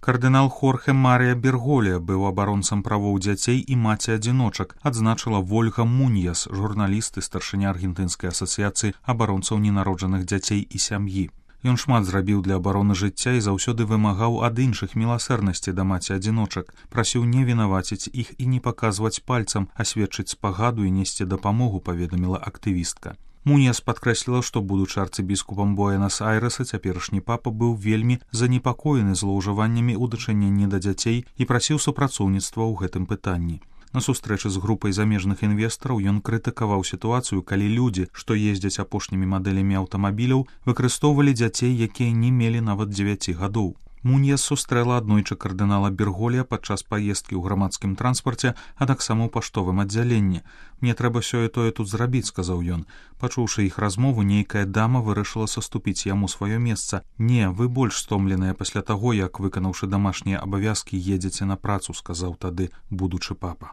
Кардынал Хорхе Марія Берголія быў абаронцам правоў дзяцей і маці-адзіночак, адзначыла Вольга Муньяс, журналіст і старшыня Аргентынскай асацыяцыі абаронцаў ненароджаных дзяцей і сям'і. Ён шмат зрабіў для абароны жыцця і заўсёды вымагаў ад іншых міласэрнасці да маці-адзіночак, прасіў не вінаваціць іх і не паказваць пальцам, а сведчыць спагаду і несці дапамогу, паведаміла актывістка. Муньяс падкрэсліла, што будучы арцыбіскупам Буэнас-Айрэса цяперашні папа быў вельмі занепакоены злоўжываннямі ў дачыненні да дзяцей і прасіў супрацоўніцтва ў гэтым пытанні. На сустрэчы з групай замежных інвестараў ён крытыкаваў сітуацыю, калі людзі, што ездзяць апошнімі мадэлямі аўтамабіляў, выкарыстоўвалі дзяцей, якія не мелі нават 9 гадоў. Муньяс сустрэла аднойчы кардынала Берголія падчас паездкі ў грамадскім транспарце, а таксама ў паштовым аддзяленні. «Мне трэба сёе-тое тут зрабіць», — сказаў ён. Пачуўшы іх размову, нейкая дама вырашыла саступіць яму сваё месца. «Не, вы больш стомленыя пасля таго, як, выканаўшы дамашнія абавязкі, едзеце на працу», — сказаў тады будучы папа.